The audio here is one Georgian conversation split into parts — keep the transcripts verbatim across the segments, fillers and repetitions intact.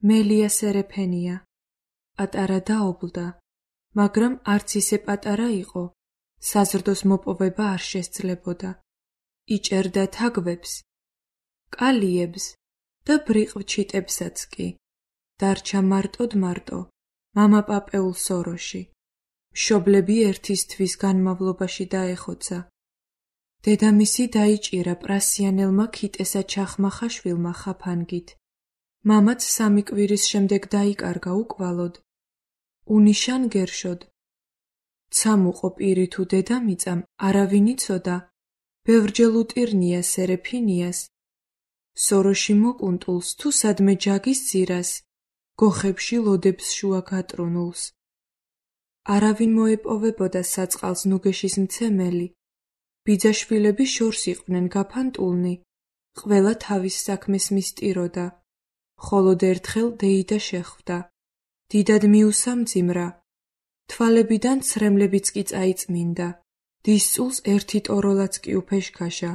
მელია სერეფენია. პატარა დაობლდა, მაგრამ არც ისე პატარა იყო, საზრდოს მოპოვება არ შესძლებოდა. იჭერდა თაგვებს, კალიებს და ბრიყვჩიტებსაც კი. დარჩა მარტოდ მარტო, მამა პაპეულ სოროში. მშობლები ერთის თვის განმავლობაში დაეხოცა. დედამისი დაიჭირა პრასიანელმა ქიტესა ჩახმახა შვილმა ხაფანგით. მამაც სამი კვირის შემდეგ დაიკარგა უკვალოდ. უნიშან გერშოდ. ცამუყო პირი თუ დედამიწამ არავინ იცოდა, ბევრჯერ უტირნია სერეფინიას, სოროში მოკუნტულს თუ სადმე ჯაგის ძირას, გოხებში ლოდებს შუა გატრუნულს. არავინ მოეპოვებოდა საწყალს ნუგეშის მცემელი, ბიძაშვილები შორს იყვნენ გაფანტულნი, ყველა თავის საქმეს მისტიროდა, ხოლოდ ერთხელ დეიდა შეხვდა, დიდად მიუსამძიმრა, თვალებიდან ცრემლებიც კი წაიწმინდა, დისწულს ერთი ტოროლაც კი უფეშქაშა,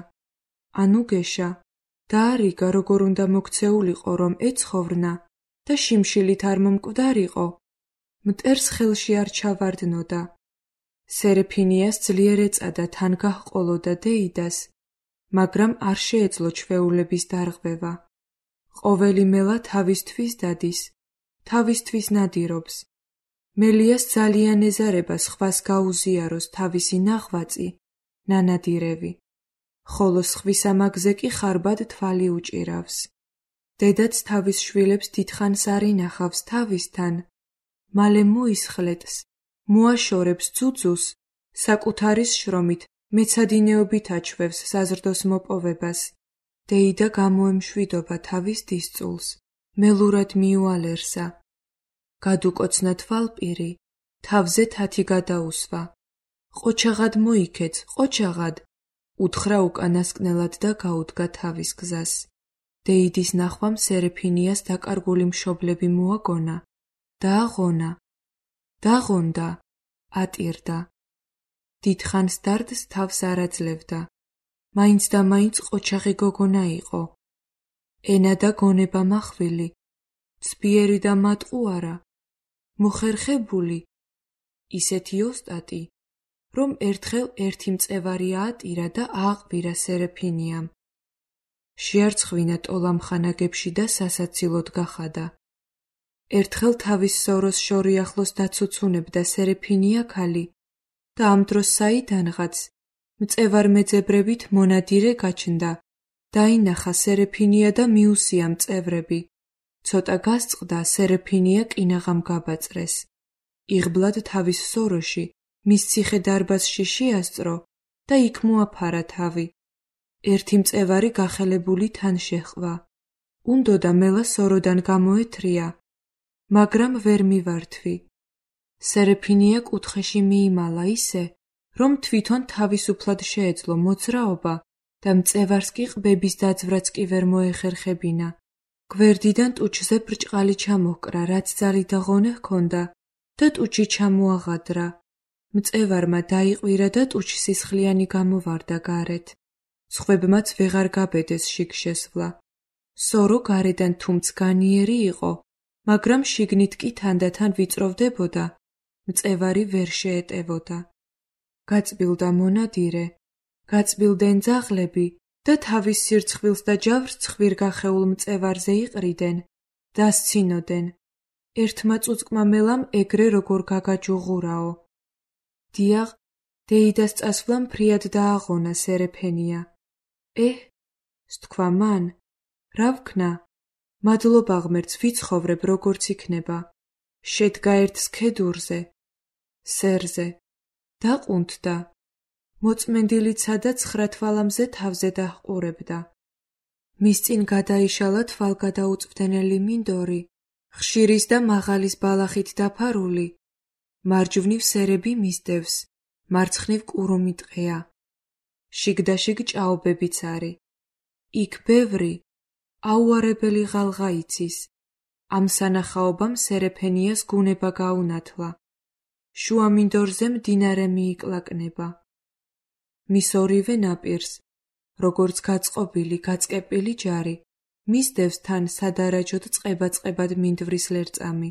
ანუ გეშა, დაარიგა როგორ უნდა მოქცეულიყო რომ ეცხოვრნა და შიმშილით არ მომკვდარიყო, მტერს ხელში არ ჩავარდნოდა. სერეფინიას ძლიერ ეწადა თან გაჰყოლოდა დეიდას, მაგრამ არ შეეძლო ჩვეულების დარღვევა. ყოველი მელა თავისთვის დადის, თავისთვის ნადირობს. მელიას ძალიან ეზარება სხვას გაუზიაროს თავისი ნაღვაწი, ნანადირევი, ხოლო სხვის ამაგზე კი ხარბად თვალი უჭირავს. დედაც თავის შვილებს დიდხანს არ ინახავს თავისთან, მალე მოისხლეტს, მოაშორებს ძუძუს, საკუთარის შრომით მეცადინეობით აჩვევს საზრდოს მოპოვებას. დეიდა გამოემშვიდობა თავის დისწულს, მელურად მიუალერსა. გადუკოცნა თვალპირი, თავზე თათი გადაუსვა. ყოჩაღად მოიქეც, ყოჩაღად, უთხრა უკანასკნელად და გაუდგა თავის გზას. დეიდის ნახვამ სერეფინიას დაკარგული მშობლები მოაგონა, დააღონა, დაღონდა, ატირდა. დიდხანს დარდს თავს არ აძლევდა, მაინც და მაინც ყოჩაღი გოგონა იყო. ენა და გონება მახვილი, ცბიერი და მატყუარა, მოხერხებული, ისეთი ოსტატი, რომ ერთხელ ერთი მწევარი აატირა და ააყვირა სერეფინიამ. შეარცხვინა ტოლამხანაგებში და სასაცილოდ გახადა. ერთხელ თავის სოროს შორი ახლოს დაცუცუნებდა სერეფინია ქალი და ამ დროს საიდანღაც მწევარ მეძებრებით მონადირე გაჩნდა. დაინახა სერეფინია და მიუსია მწევრები. ცოტა გასწყდა სერეფინია კინაღამ გაბაწრეს. იღბლად თავის სოროში, მის ციხე დარბაზში შეასწრო და იქ მოაფარა თავი. ერთი მწევარი გახელებული თან შეჰყვა. უნდოდა მელა სოროდან გამოეთრია, მაგრამ ვერ მივართვი. სერეფინია კუთხეში მიიმალა ისე, რომ თვითონ თავისუფლად შეეძლო მოძრაობა და მწევარს კი ყბების დაძვრაც კი ვერ მოეხერხებინა. გვერდიდან ტუჩზე ბრჭყალი ჩამოჰკრა, რაც ძალი და ღონე ჰქონდა და ტუჩი ჩამოაღადრა. მწევარმა დაიყვირა და ტუჩი სისხლიანი გამოვარდა გარეთ. სხვებმაც ვეღარ გაბედეს შიგ შესვლა. სორო გარედან თუმც განიერი იყო, მაგრამ შიგნით კი თანდათან ვიწროვდებოდა, მწევარი ვერ შეეტევოდა. გაწბილდა მონადირე, გაწბილდნენ ძაღლები და თავის სირცხვილს და ჯავრს ცხვირგახეულ მწევარზე იყრიდნენ, დასცინოდნენ. ერთმა წუწკმა მელამ ეგრე როგორ გაგაჯუღურაო. დიაღ, დეიდას წასვლა ფრიად დააღონა სერეფენია. ეჰ, სთქვა მან, რა ვქნა? მადლობა ღმერთს, ვიცხოვრებ როგორც იქნება. შედგა ერთ სქედურზე, სერზე, დაყუნთდა. მოწმენდილი ცადა ცხრა თვალამზე თავზე დაჰყურებდა. მის წინ გადაიშალა თვალგადაუწვდენელი მინდორი, ხშირის და მაღალის ბალახით დაფარული. მარჯვნივ სერები მისდევს, მარცხნივ კურუმი ტყეა. შიგდაშიგ ჭაობებიც არის. იქ ბევრი, აუარებელი ღალღა იცის. ამ სანახაობამ სერეფენიას გუნება გაუნათლა. შუა მინდორზე მდინარე მიიკლაკნება. მის ორივე ნაპირს, როგორც გაწყობილი, გაწყეპილი ჯარი, მისდევს თან სადარაჯოდ წყება-წყებად მინდვრის ლერწამი.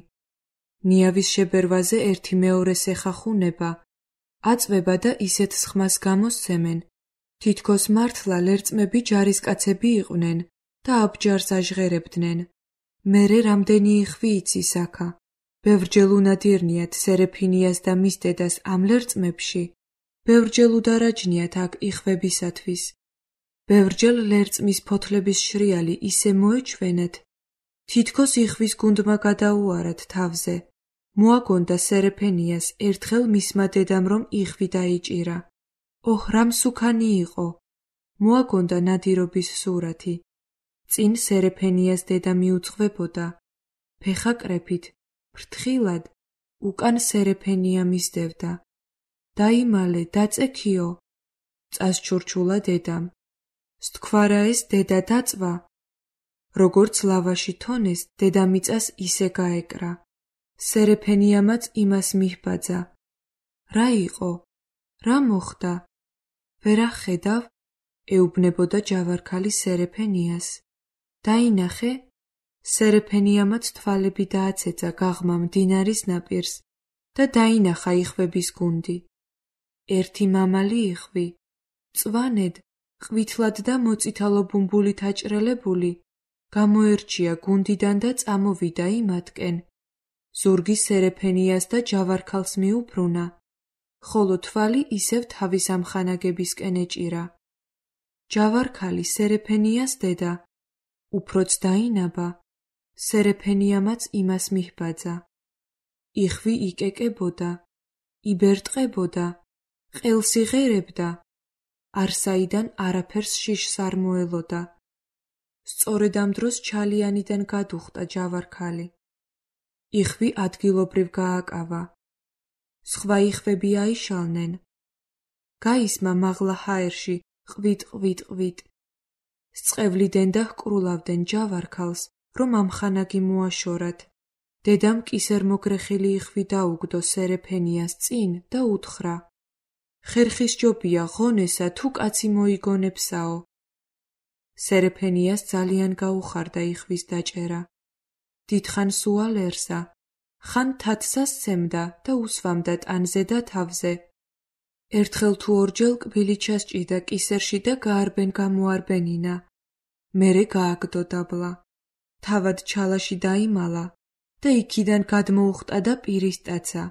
ნიავის შებერვაზე ერთი მეორეს ეხახუნება, აწვება და ისეთ სხმას გამოსცემენ, თითქოს მართლა ლერწმები ჯარისკაცები იყვნენ და აბჯარს აჟღერებდნენ. მერე რამდენი იხვი იცის აქა. ბევრჯერ უნადირნიათ სერეფინიას და მის დედას ამ ლერწმებში, ბევრჯერ უდარაჯნიათ აქ იხვებისათვის. ბევრჯერ ლერწმის ფოთლების შრიალი ისე მოეჩვენეთ, თითქოს იხვის გუნდმა გადაუარათ თავზე. მოაგონდა სერეფენიას ერთხელ მისმა დედამ რომ იხვი დაიჭირა. ოჰ, რა მსუქანი იყო! მოაგონდა ნადირობის სურათი. წინ სერეფენიას დედა მიუძღვებოდა. ფეხა კრეფით, ფრთხილად, უკან სერეფენია მისდევდა. დაიმალე, დაწექიო! წასჩურჩულა დედამ. სთქვარა ეს დედა დაწვა. როგორც ლავაში თონეს, დედამიწას ისე გაეკრა. სერეფენიამაც იმას მიჰბაძა. რა იყო? რა მოხდა? ვერ ახედავ? ეუბნებოდა ჯავარქალი სერეფენიას. დაინახე? სერეფენიამაც თვალები დააცეცა გაღმა მდინარის ნაპირს და დაინახა იხვების გუნდი. ერთი მამალი იხვი, წვანედ, ყვითლად და მოწითალო ბუმბულით აჭრელებული, გამოერჩია გუნდიდან და წამოვიდა იმათკენ. ზურგი სერეფენიას და ჯავარქალს მიუბრუნა, ხოლო თვალი ისევ თავის ამხანაგებისკენ ეჭირა. ჯავარქალი სერეფენიას დედა, უფროც დაინაბა, სერეფენიამაც იმას მიჰბაძა. იხვი იკეკებოდა, იბერტყებოდა, ყელს იღერებდა, არსაიდან არაფერს შიშს არ მოელოდა. სწორედ ამ დროს ჩალიანიდან გადუხტა ჯავარქალი. იხვი ადგილობრივ გააკავა. სხვა იხვები აიშალნენ. გაისმა მაღლა ჰაერში ყვით ყვით ყვით. სწევლიდან და ჰკრულავდნენ ჯავარქალს, რომ ამხანაგი მოაშორათ. დედამ კისერმოგრეხილი იხვი დაუგდო სერეფენიას წინ და უთხრა. ხერხის ჯობია ღონესა თუ კაცი მოიგონებსაო. სერეფენიას ძალიან გაუხარდა იხვის დაჭერა. დიდხანს უალერსა, ხან თათსა სცემდა და უსვამდა ტანზე და თავზე. ერთხელ თუ ორჯერ კბილი ჩასჭიდა კისერში და გაარბენ გამოარბენინა. მერე გააგდო დაბლა. თავად ჩალაში დაიმალა და იქიდან გადმოუხტა და პირისტაცა.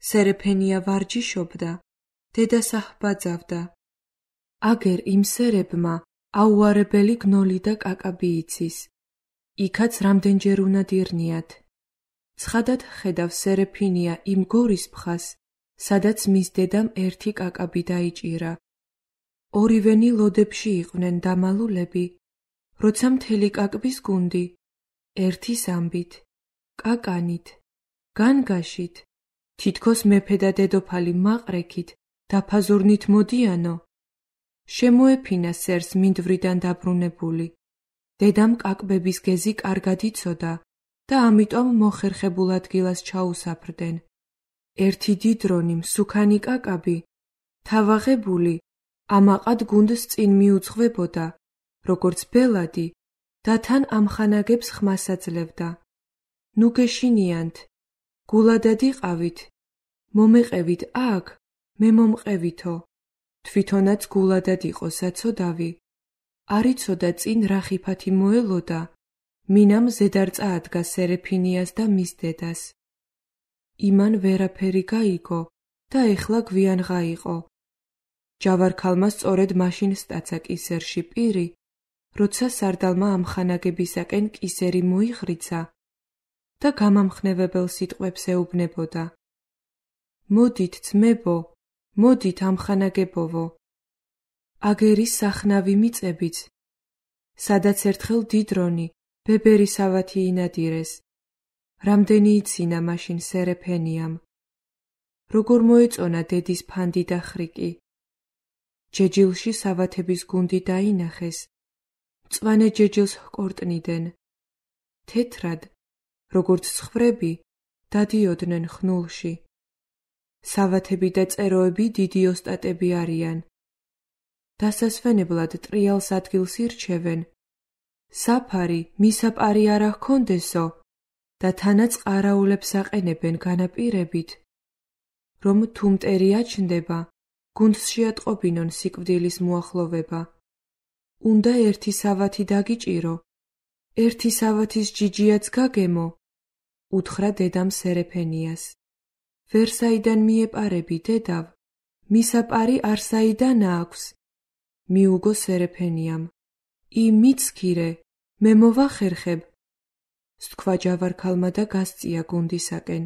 სერეფენია ვარჯიშობდა, დედას აჰბაძავდა. აგერ იმ სერებმა აუარებელი გნოლი და კაკაბი იცის. იქაც რამდენჯერ უნადირნიათ. ცხადად ხედავ სერეფინია იმ გორის ფხას, სადაც მის დედამ ერთი კაკაბი დაიჭირა. ორივენი ლოდებში იყვნენ დამალულები, როცა მთელი კაკბის გუნდი, ერთის ამბით, კაკანით, განგაშით, თითქოს მეფე და დედოფალი მაყრექით, დაფაზურნით მოდიანო. შემოეფინა სერს მინდვრიდან დაბრუნებული. დედამ კაკბების გეზი კარგად იცოდა და ამიტომ მოხერხებულ ადგილას ჩაუსაფრდნენ. ერთი დიდრონი მსუქანი კაკაბი, თავაღებული, ამაყად გუნდს წინ მიუძღვებოდა, როგორც ბელადი და თან ამხანაგებს ხმას აძლევდა. ნუ გეშინიანთ, გულადად იყავით, მომეყევით აქ, მე მომყევითო. თვითონაც გულადად იყო საცოდავი. არ იცოდა წინ რა ხიფათი მოელოდა, მინამ ზედარ წაადგა სერეფინიას და მის დედას. იმან ვერაფერი გაიგო და ეხლა გვიან ღაიყო. ჯავარქალმა სწორედ მაშინ სტაცა კისერში პირი, როცა სარდალმა ამხანაგებისაკენ კისერი მოიხრიცა და გამამხნევებელ სიტყვებს ეუბნებოდა. მოდით ძმებო, მოდით ამხანაგებოვო. აგერის სახნავი მიწებიც, სადაც ერთხელ დიდრონი, ბებერი სავათი ინადირეს. რამდენი ცინა მაშინ სერეფენიამ. როგორ მოეწონა დედის ფანდი და ხრიკი. ჯეჯილში სავათების გუნდი დაინახეს. მწვანე ჯეჯილს ჰკორტნიდნენ. თეთრად, როგორც ცხვრები, დადიოდნენ ხნულში. სავათები და წეროები დიდი ოსტატები არიან. დასასვენებლად ტრიალს ადგილს ირჩევენ. საფარი მისაპარი არა ჰქონდესო და თანაც ყარაულებს აყენებენ განაპირებით, რომ თუ მტერი აჩნდება, გუნდს შეატყობინონ სიკვდილის მოახლოვება. უნდა ერთი სავათი დაგიჭირო, ერთი სავათის ჯიჯიაც გაგემო, უთხრა დედამ სერეფენიას. ვერ საიდან მიეპარები, დედავ, მისაპარი არ საიდან აქვს, მიუგო სერეფენიამ. ი მიცქირე, მე მოვახერხებ, სთქვა ჯავარქალმა და გასწია გუნდისაკენ.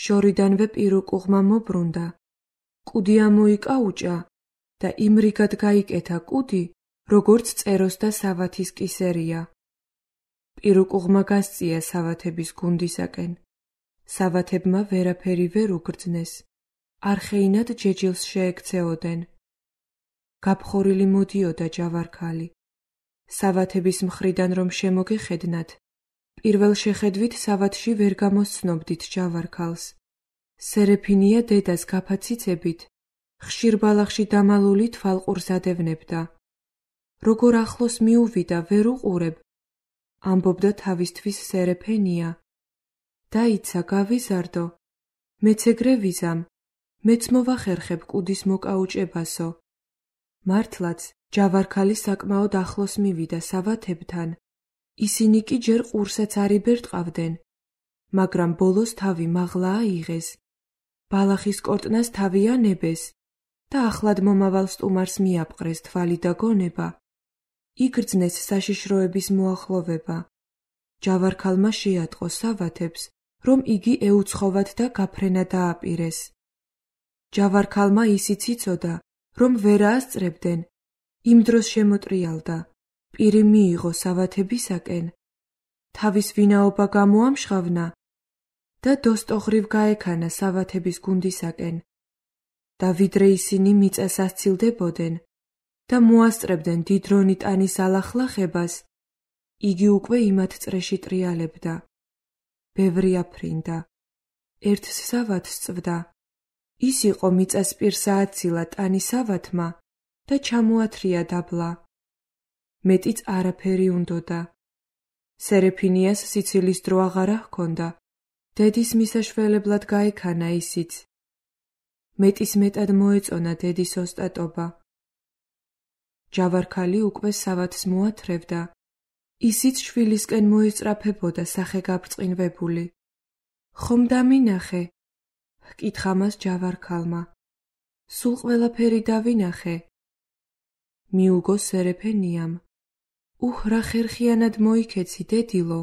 შორიდანვე პირუკუღმა მობრუნდა, კუდი ამოიკაუჭა და იმრიგად გაიკეთა კუდი, როგორც წეროს და სავათის კისერია. პირუკუღმა გასწია სავათების გუნდისაკენ. სავათებმა ვერაფერი ვერ უგრძნეს, არხეინად ჯეჯილს შეექცეოდენ. გაფხორილი მოდიოდა ჯავარქალი. სავათების მხრიდან რომ შემოგეხედნათ, პირველ შეხედვით სავათში ვერ გამოსცნობდით ჯავარქალს. სერეფინია დედას გაფაციცებით, ხშირ ბალახში დამალული თვალყურს ადევნებდა. როგორ ახლოს მიუვიდა, ვერ უყურებ, ამბობდა თავისთვის სერეფენია. დაიცა, გავიზარდო, მეც ეგრე ვიზამ, მეც მოვახერხებ კუდის მოკაუჭებასო. მართლაც, ჯავარქალი საკმაოდ ახლოს მივიდა სავათებთან, ისინი კი ჯერ ყურსაც არ იბერტყავდნენ, მაგრამ ბოლოს თავი მაღლა აიღეს, ბალახის კორტნას თავი ანებეს და ახლად მომავალ სტუმარს მიაპყრეს თვალი და გონება. იგრძნეს საშიშროების მოახლოვება. ჯავარქალმა შეატყო სავათებს, რომ იგი ეუცხოვათ და გაფრენა დააპირეს. ჯავარქალმა ისიც იცოდა, რომ ვერ აასწრებდნენ, იმ დროს შემოტრიალდა, პირი მიიღო სავათებისაკენ, თავის ვინაობა გამოამშღავნა და დოსტოღრივ გაექანა სავათების გუნდისაკენ. და ვიდრე ისინი მიწას ასცილდებოდნენ და მოასწრებდნენ დიდრონი ტანის ალახლახებას, იგი უკვე იმათ წრეში ტრიალებდა. ბევრი აფრინდა, ერთს სავათს წვდა. ის იყო მიწას პირსა აცილა ტანის სავათმა და ჩამოათრია დაბლა. მეტიც არაფერი უნდოდა. სერეფინიას სიცილის დრო აღარა ჰქონდა, დედის მისაშველებლად გაექანა ისიც. მეტის მეტად მოეწონა დედის ოსტატობა. ჯავარქალი უკვე სავათს მოათრევდა, ისიც შვილისკენ მოეწრაფებოდა სახე გაბრწყინვებული. ხომ დამინახე? ჰკითხა მას ჯავარქალმა. სულ ყველაფერი დავინახე. მიუგო სერეფენიამ. უჰ, რა ხერხიანად მოიქეცი, დედილო,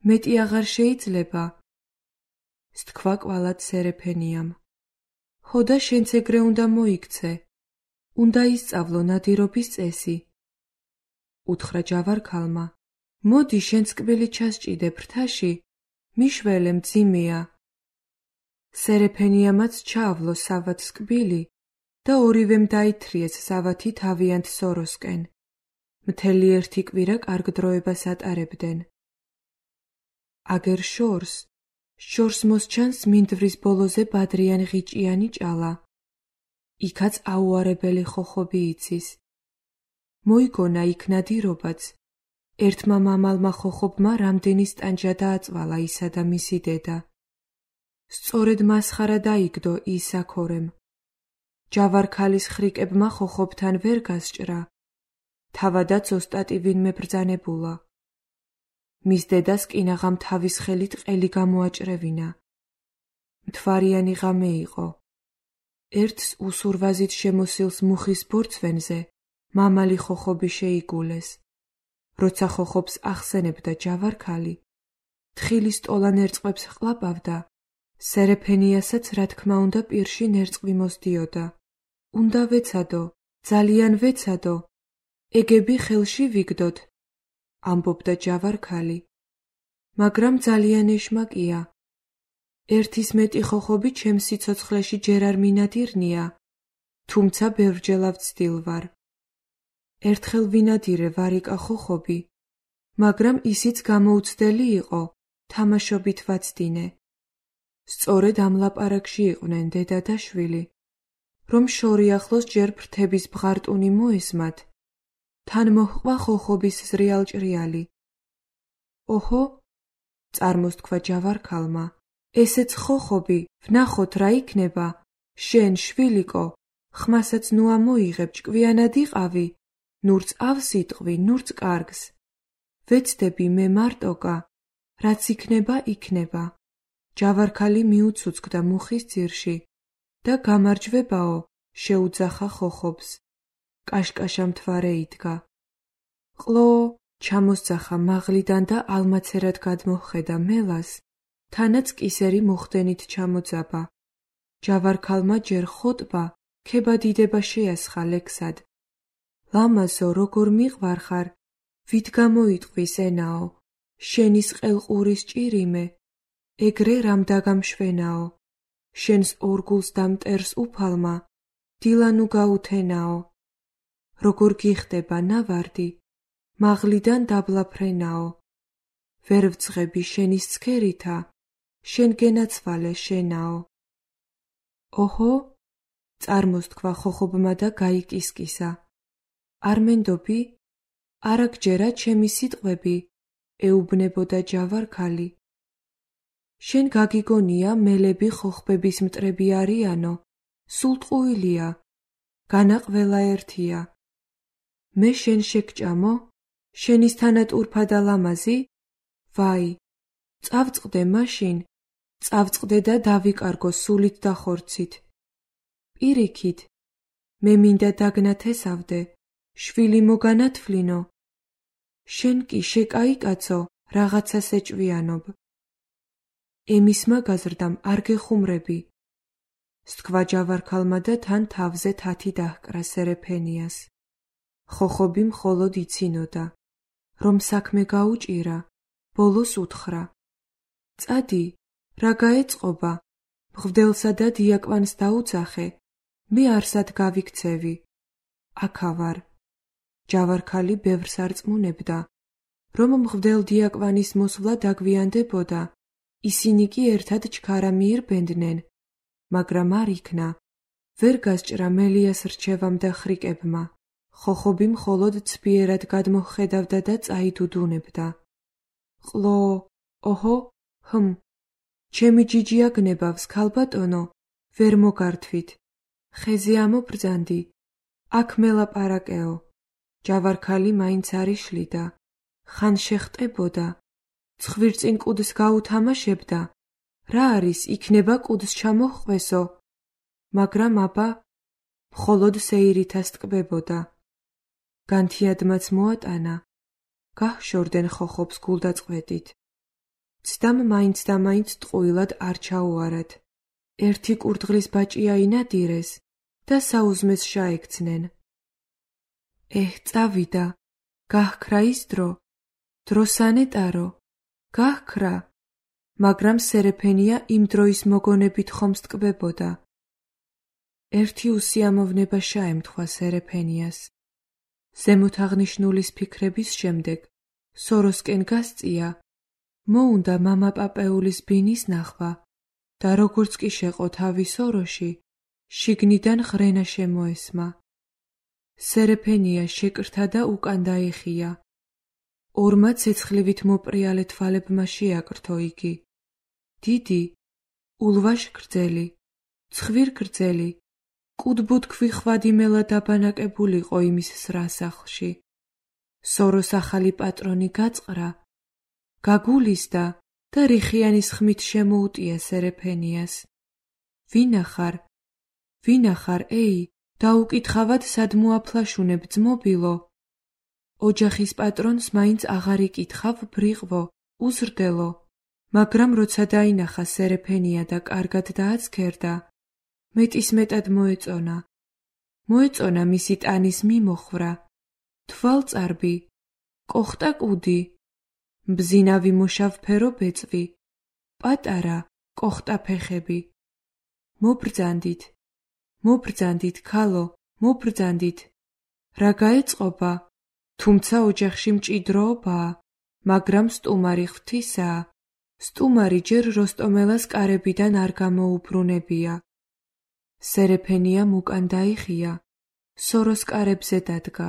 მეტი აღარ შეიძლება. სთქვა კვალად სერეფენიამ. ჰო და შენც ეგრე უნდა მოიქცე, უნდა ისწავლო ნადირობის წესი. უთხრა ჯავარქალმა. მოდი შენც კბილი ჩასჭიდე ფრთაში, მიშველე მძიმეა. სერეფენიამაც ჩაავლო სავათს კბილი და ორივემ დაითრიეს სავათი თავიანთ სოროსკენ. მთელი ერთი კვირა კარგ დროებას ატარებდნენ. აგერ შორს, შორს მოსჩანს მინდვრის ბოლოზე ბადრიან ღიჭიანი ჭალა. იქაც აუარებელი ხოხობი იცის. მოიგონა იქ ნადირობაც. ერთმა მამალმა ხოხობმა რამდენი სტანჯა დააწვალა ისა და მისი დედა. სწორედ მასხარა დაიგდო ის აქორემ. ჯავარქალის ხრიკებმა ხოხობთან ვერ გასჭრა. თავადაც ოსტატი ვინმე ბრძანებულა. მის დედას კინაღამ თავის ხელით ყელი გამოაჭრევინა. მთვარიანი ღამე იყო. ერთს უსურვაზით შემოსილს მუხის ბორცვენზე მამალი ხოხობი შეიგულეს. როცა ხოხობს ახსენებდა ჯავარქალი, თხილის ტოლა ნერწყმებს ჰყლაპავდა, სერეფენიასაც რა თქმა უნდა პირში ნერწყმი მოსდიოდა. უნდა ვეცადო, ძალიან ვეცადო, ეგები ხელში ვიგდოთ, ამბობდა ჯავარქალი. მაგრამ ძალიან ეშმაკია. ერთის მეტი ხოხობი ჩემს სიცოცხლეში ჯერ არ მინადირნია, თუმცა ბევრჯერ ავცდილ ვარ. ერთხელ ვინადირე ვარიკა ხოხობი, მაგრამ ისიც გამოუცდელი იყო, თამაშობით ვაცდინე. სწორედ ამ ლაპარაკში იყვნენ დედა და შვილი, რომ შორი ახლოს ჯერ ფრთების ბღარტუნი მოესმათ, თან მოჰყვა ხოხობის ზრიალჭრიალი. ოჰო, წარმოსთქვა ჯავარქალმა, ესეც ხოხობი, ვნახოთ რა იქნება, შენ შვილიკო, ხმასაც ნუ ამოიღებ, ჭკვიანად იყავი, ნურც ავს იტყვი, ნურც კარგს. ვეცდები მე მარტოკა, რაც იქნება, იქნება. ჯავარქალი მიუცუცკდა მუხის ძირში და გამარჯვებაო, შეუძახა ხოხობს. კაშკაშა მთვარე იდგა. ყლო, ჩამოსძახა მაღლიდან და ალმაცერად გადმოჰხედა მელას, თანაც კისერი მოხდენით ჩამოძაბა. ჯავარქალმა ჯერ ხოტბა, ქებადიდება შეასხა ლექსად. ლამაზო, როგორ მიყვარხარ, ვით გამოიტყვის ენაო, შენის ყელყურის ჭირიმე, ეგრე რამ დაგამშვენაო, შენს ორგულს და მტერს უფალმა, დილანუ გაუთენაო. როგორ გიხდება ნავარდი, მაღლიდან დაბლაფრენაო. ვერ ვძღები შენის ცქერითა, შენ გენაცვალე შენაო. ოჰო, წარმოსთქვა ხოხობმა და გაიკისკისა. არ მენდობი? არა გჯერა ჩემი სიტყვები, ეუბნებოდა ჯავარქალი. შენ გაგიგონია მელები ხოხბების მტრები არიანო, სულ ტყუილია, განა ყველა ერთია. მე შენ შეგჭამო, შენის თანატურფა და ლამაზი? ვაი, წავწყდე მაშინ, წავწყდე და დავიკარგო სულით და ხორცით. პირიქით, მე მინდა დაგნათესავდე, შვილი მოგანათვლინო. შენ კი შეკაიკაცო, რაღაცას ეჭვიანობ. ემისმა გაზრდამ არ გეხუმრები. სთქვა ჯავარქალმა და თან თავზე თათი დაჰკრა სერეფენიას. ხოხობი მხოლოდ იცინოდა, რომ საქმე გაუჭირა, ბოლოს უთხრა. წადი, რა გაეწყობა, მღვდელსა და დიაკვანს დაუძახე, მე არსად გავიქცევი. აქა ვარ. ჯავარქალი ბევრს არწმუნებდა, რომ მღვდელ დიაკვანის მოსვლა დაგვიანდებოდა, ისინი კი ერთად ჩქარა მიირბენდნენ, მაგრამ არ იქნა, ვერ გასჭრა მელიას რჩევამ და ხრიკებმა. ხოხობი მხოლოდ ცბიერად გადმოჰხედავდა და წაიდუდუნებდა. ყლო, ოჰო, ჰმ, ჩემი ჯიჯი აგნებავს, ქალბატონო, ვერ მოგართვით. ხეზე ამობრძანდი, აქ მელაპარაკეო. ჯავარქალი მაინც არ იშლიდა, ხან შეხტებოდა, ცხვირწინ კუდს გაუთამაშებდა, რა არის, იქნება კუდს ჩამოჰყვესო, მაგრამ აბა, მხოლოდ სეირითას ტკბებოდა. განთიადმაც მოატანა, გაჰშორდენ ხოხობს გულდაწყვეტით. ცდამ მაინც და მაინც ტყუილად არ ჩაუარათ. ერთი კურდღლის ბაჭი აინადირეს და საუზმეს შაექცნენ. ეჰ, წავიდა, გაჰქრა ის დრო, დროსანეტარო, გაჰქრა, მაგრამ სერეფენია იმ დროის მოგონებით ხომს ტკბებოდა. ერთი უსიამოვნება შაემთხვა სერეფენიას. ზემოთ აღნიშნულის ფიქრების შემდეგ სოროსკენ გასწია, მოუნდა მამა პაპეულის ბინის ნახვა და როგორც კი შეყო თავი სოროში, შიგნიდან ღრენა შემოესმა. სერეფენია შეკრთა და უკან დაეხია. ორმა ცეცხლივით მოპრიალე თვალებმა შეაკრთო იგი. დიდი, ულვაშ გრძელი, ცხვիր გრძელი, კუდბუთქვი ხვადიმელა დაბანაკებულიყო იმის სრასახლში. სოროს ახალი პატრონი გაწყრა, გაგულისდა და რიხიანის ხმით შემოუტია სერეფენიას. ვინახარ, ვინახარ, ეი, დაუკითხავად სად მოაფლაშუნებ ძმობილო. ოჯახის პატრონს მაინც აღარ იკითხავ ბრიყვო, უზრდელო, მაგრამ როცა დაინახა სერეფენია და კარგად დააცქერდა, მეტისმეტად მოეწონა. მოეწონა მისი ტანის მიმოხრა, თვალწარბი, კოხტა კუდი, მბზინავი მოშავფერო ბეწვი, პატარა, კოხტა ფეხები. მობრძანდით, მობრძანდით, ქალო, მობრძანდით. რა გაეწყობა? თუმცა ოჯახში მჭიდროობაა, მაგრამ სტუმარი ღვთისაა. სტუმარი ჯერ როსტომელას კარებიდან არ გამოუბრუნებია. სერეფენია უკან დაიხია, სოროს კარებზე დადგა.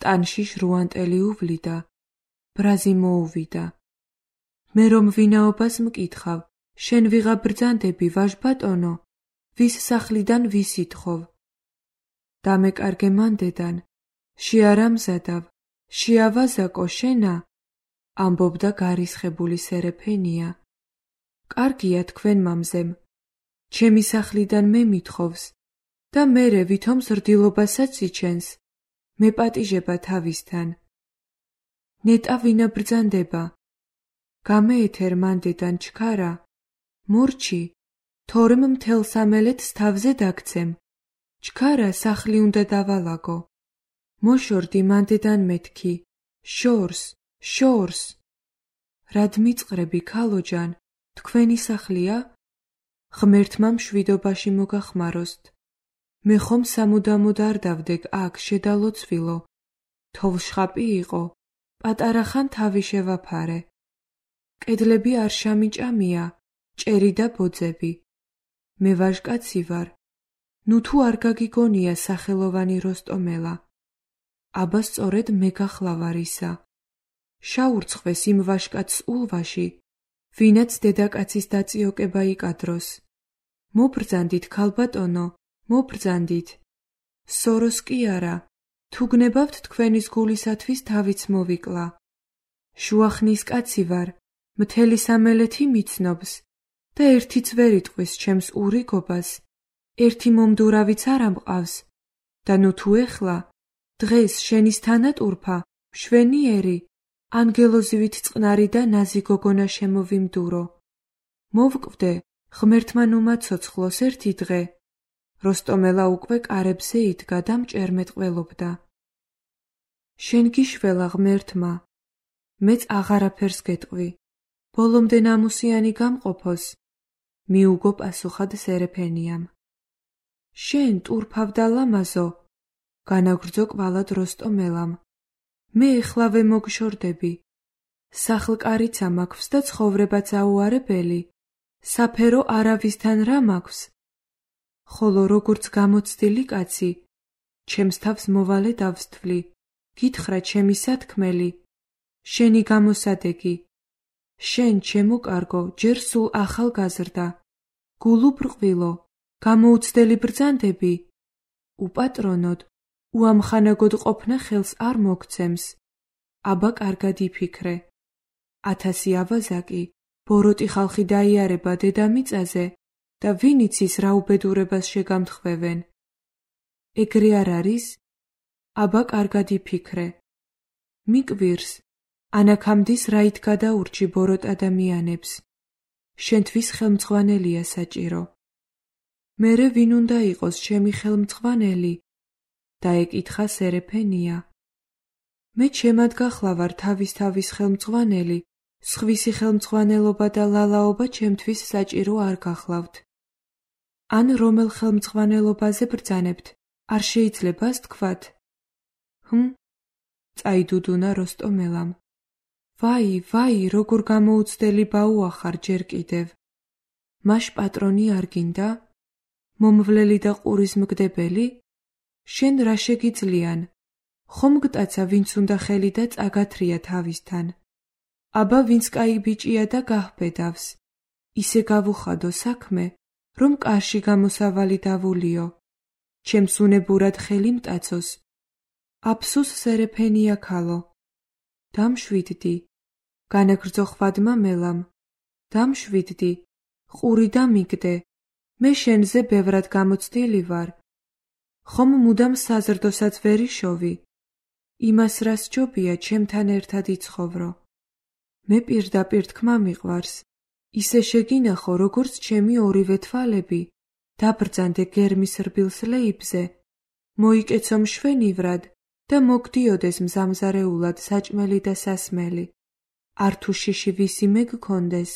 ტანში ჟრუანტელი უვლიდა, ბრაზი მოუვიდა. მე რომ ვინაობას მკითხავ, შენ ვიღა ბრძანდები, ვაჟბატონო, ვის სახლიდან ვის ითხოვ? დამეკარგე მანდედან, შეარამზადავ, შეავაზაკო შენა, ამბობდა გარისხებული სერეფენია. კარგია თქვენ მამზემ, ჩემი სახლიდან მე მითხოვს და მერე ვითომ ზრდილობასაც იჩენს, მეპატიჟება თავისთან. ნეტა ვინა ბრძანდება, გამეეთერ მანდედან ჩქარა, მორჩი, თორემ მთელ სამელეთს თავზე დაგცემ, ჩქარა სახლი უნდა დავალაგო. მოშორდი მანდედან მეთქი, შორს, შორს. რად მიწყრები ქალოჯან, თქვენი სახლია? ღმერთმა მშვიდობაში მოგახმაროსთ. მე ხომ სამუდამოდ არ დავდეგ აქ შედალოცვილო. თოვლშხაპი იყო, პატარა ხან თავი შევაფარე. კედლები არ შამიჭამია, ჭერი და ბოძები. მე ვაჟკაცი ვარ. ნუ თუ არ გაგიგონია სახელოვანი როსტომელა. აბა სწორედ მე გახლავარ ისა. შაურცხვეს იმ ვაჟკაცს ულვაში, ვინაც დედაკაცის დაწიოკება იკადროს. მობრძანდით ქალბატონო, მობრძანდით. სოროს კი არა, თუ გნებავთ თქვენის გულისათვის თავიც მოვიკლა. შუახნის კაცი ვარ, მთელი სამელეთი მიცნობს და ერთიც ვერ იტყვის ჩემს ურიგობას, ერთი მომდურავიც არ ამყავს და ნუ თუ ეხლა, დღეს შენის თანატურფა, მშვენიერი, ანგელოზივით წყნარი და ნაზი გოგონა შემოვიმდურო. მოვკვდე, ღმერთმა ნუ მაცოცხლოს ერთი დღე. როსტომელა უკვე კარებზე იდგა და მჭერმეტყველობდა. შენ გიშველა ღმერთმა, მეც აღარაფერს გეტყვი, ბოლომდე ნამუსიანი გამყოფოს, მიუგო პასუხად სერეფენიამ. შენ ტურფავ და ლამაზო, განაგრძო კვალად როსტომელამ. მე ეხლავე მოგშორდები. სახლკარიცა მაქვს და ცხოვრებაც აუარებელი, საფერო არავისთან რა მაქვს. ხოლო როგორც გამოცდილი კაცი, ჩემს თავს მოვალე დავსთვლი, გითხრა ჩემი სათქმელი, შენი გამოსადეგი. შენ ჩემო კარგო, ჯერ სულ ახალგაზრდა, გულუბრყვილო, გამოუცდელი ბრძანდები, უპატრონოდ, უამხანაგოდ ყოფნა ხელს არ მოგცემს. აბა კარგად იფიქრე. ათასი ავაზაკი, ბოროტი ხალხი დაიარება დედამიწაზე და ვინ იცის რა უბედურებას შეგამთხვევენ. ეგრე არ არის? აბა კარგად იფიქრე. მიკვირს, ანაქამდის რაით გადაურჩი ბოროტ ადამიანებს. შენთვის ხელმძღვანელია საჭირო. მერე ვინ უნდა იყოს ჩემი ხელმძღვანელი? დაეკითხა სერეფენია. მე ჩემად გახლავარ თავის-თავის ხელმძღვანელი, სხვისი ხელმძღვანელობა და ლალაობა ჩემთვის საჭირო არ გახლავთ. ან რომელ ხელმძღვანელობაზე ბრძანებთ, არ შეიძლებას თქვათ? ჰმ? წაიდუდუნა როსტომელამ. ვაი, ვაი, როგორ გამოუცდელი ბაუახარ ჯერ კიდევ. მაშ პატრონი არ გინდა? მომვლელი და ყურის მგდებელი? შენ რა შეგიძლიან? ხომ გტაცა ვინც უნდა ხელი და წაგათრია თავისთან. აბა ვინც კაი ბიჭია და გაჰბედავს. ისე გავუხადო საქმე, რომ კარში გამოსავალი დავულიო. ჩემს უნებურად ხელი მტაცოს. აფსუს სერეფენია ქალო. დამშვიდდი. განაგრძო ხვადმა მელამ. დამშვიდდი. ყური დამიგდე. მე შენზე ბევრად გამოცდილი ვარ. ხომ მუდამ საზრდოსაც ვერ იშოვი. იმას რა სჯობია ჩემთან ერთად იცხოვრო. მე პირდაპირ თქმა მიყვარს. ისე შეგინახო, როგორც ჩემი ორივე თვალები. დაბრძანდე გერმის რბილს ლეიბზე. მოიკეცო მშვენივრად და მოგდიოდეს მზამზარეულად საჭმელი და სასმელი. არ თუ შიში ვისი მე გქონდეს,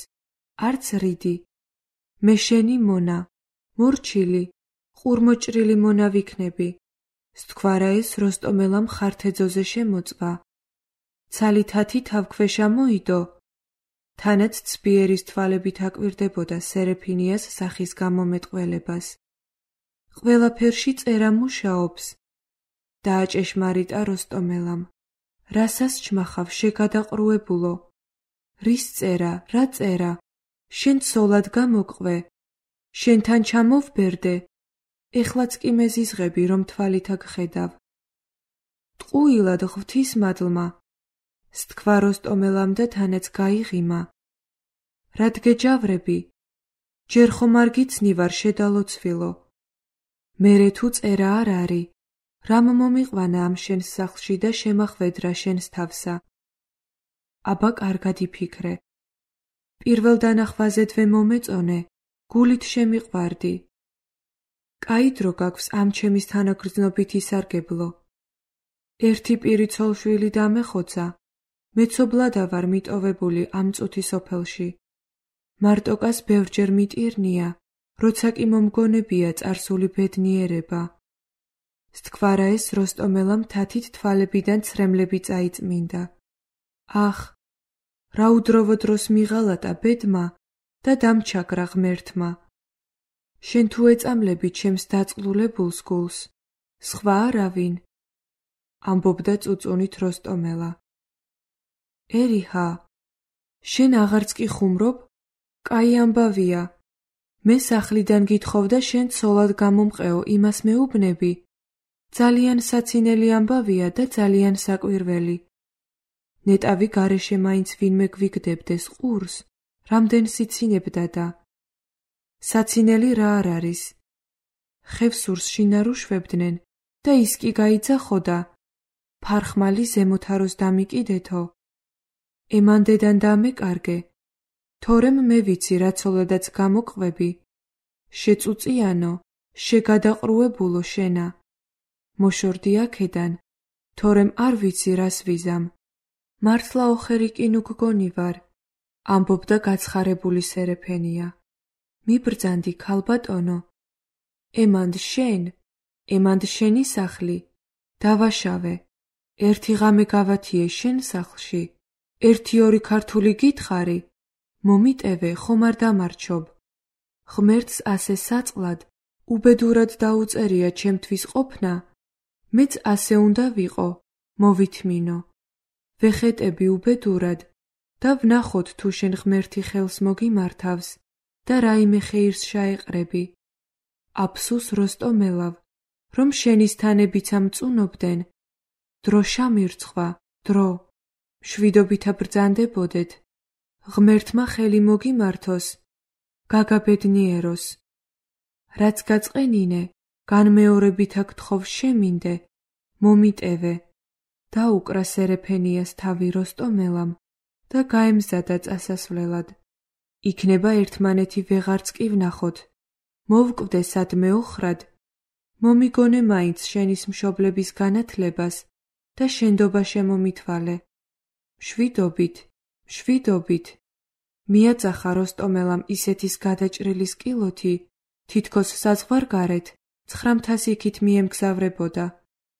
არც რიდი. მე შენი მონა, მორჩილი, ყურმოჭრილი მონა ვიქნები. სთქვარა ეს როსტომელამ ხართეძოზე შემოწვა. ცალითათი თავქვეშა მოიდო. თანაც ცბიერის თვალებით აკვირდებოდა სერეფინიას სახის გამომეტყველებას. ყველაფერში წერა მუშაობს. დააჭეშმარიტა როსტომელამ. რასას ჩმახავ შეგადაყრუებულო? რის წერა, რა წერა? შენ ცოლად გამოყვე, შენთან ჩამოვბერდე, ეხლაც კი მეზიზღები, რომ თვალითა გხედავ. ტყუილად ღვთისმადლმა, სთქვა როსტომელამ და თანაც გაიღიმა. რად გეჯავრები? ჯერ ხომ არ გიცნივარ შედალოცვილო. მერე თუ წერა არ არი, რამ მომიყვანა ამ შენს სახლში და შემახვედრა შენს თავსა? აბა კარგად იფიქრე. პირველ დანახვაზედვე მომეწონე, გულით შემიყვარდი. კაი დრო გაქვს ამ ჩემის თანაგრძნობით ისარგებლო. ერთი პირი ცოლშვილი დამეხოცა, მეცობრადა ვარ მიტოვებული ამ წუთი სოფელში. მარტოკას ბევრჯერ მიტირნია, როცა კი მომგონებია წარსული ბედნიერება. სთქვარა ეს როსტომელამ თათით თვალებიდან ცრემლები წაიწმინდა. ახ, რა უდროვო დროს მიღალატა ბედმა და დამჩაგრა ღმერთმა. შენ თუ ეწამლები ჩემს დაწყლულებულს გულს, სხვა არავინ, ამბობდა წუწუნით როსტომელა. ერიჰა, შენ აღარც კი ხუმრობ? კაი ამბავია. მე სახლიდან გითხოვ და შენ ცოლად გამომყეო, იმას მეუბნები. ძალიან საცინელი ამბავია და ძალიან საკვირველი. ნეტავი გარეშე მაინც ვინმე გვიგდებდეს ყურს, რამდენ სიცინებდა და. საცინელი რა არ არის? ხევსურს შინარუშვებდნენ და ის კი გაიძახოდა. ფარხმალი ზემოთაროს დამიკიდეთო. ემანდედან დამეკარგე. თორემ მე ვიცი რა ცოლადაც გამოყვები. შეწუწიანო, შეგადაყრუებულო შენა. მოშორდი აქედან, თორემ არ ვიცი რას ვიზამ. მართლა ოხერი კი ნუ გგონი ვარ, ამბობდა გაცხარებული სერეფენია. მიბრძანდი ქალბატონო. ემანდ შენ, ემანდ შენი სახლი. დავაშავე. ერთი ღამე გავათიე შენ სახლში. ერთი ორი ქართული გითხარი. მომიტევე ხომ არ დამარჩობ. ღმერთს ასე საწყლად, უბედურად დაუწერია ჩემთვის ყოფნა, მეც ასე უნდა ვიყო, მოვითმინო. ვეხეტები უბედურად და ვნახოთ თუ შენ ღმერთი ხელს მოგიმართავს და რაიმე ხეირს შაეყრები. აფსუს როსტომელავ, რომ შენის თანებიც ამწუნობდნენ. დრო შამირცხვა, დრო. მშვიდობითა ბრძანდებოდეთ. ღმერთმა ხელი მოგიმართოს, გაგაბედნიეროს. რაც გაწყენინე, განმეორებითა გთხოვ შემინდე, მომიტევე. დაუკრა სერეფენიას თავი როსტომელამ და გაემზადა წასასვლელად. იქნება ერთმანეთი ვეღარც კი ვნახოთ. მოვკვდე სადმე ოხრად. მომიგონე მაინც შენის მშობლების განათლებას და შენდობა შემომითვალე. მშვიდობით, მშვიდობით. მიაწახა როსტომელამ ისეთის გადაჭრილი სკილოთი, თითქოს საზღვარგარეთ ცხრამთას იქით მიემგზავრებოდა.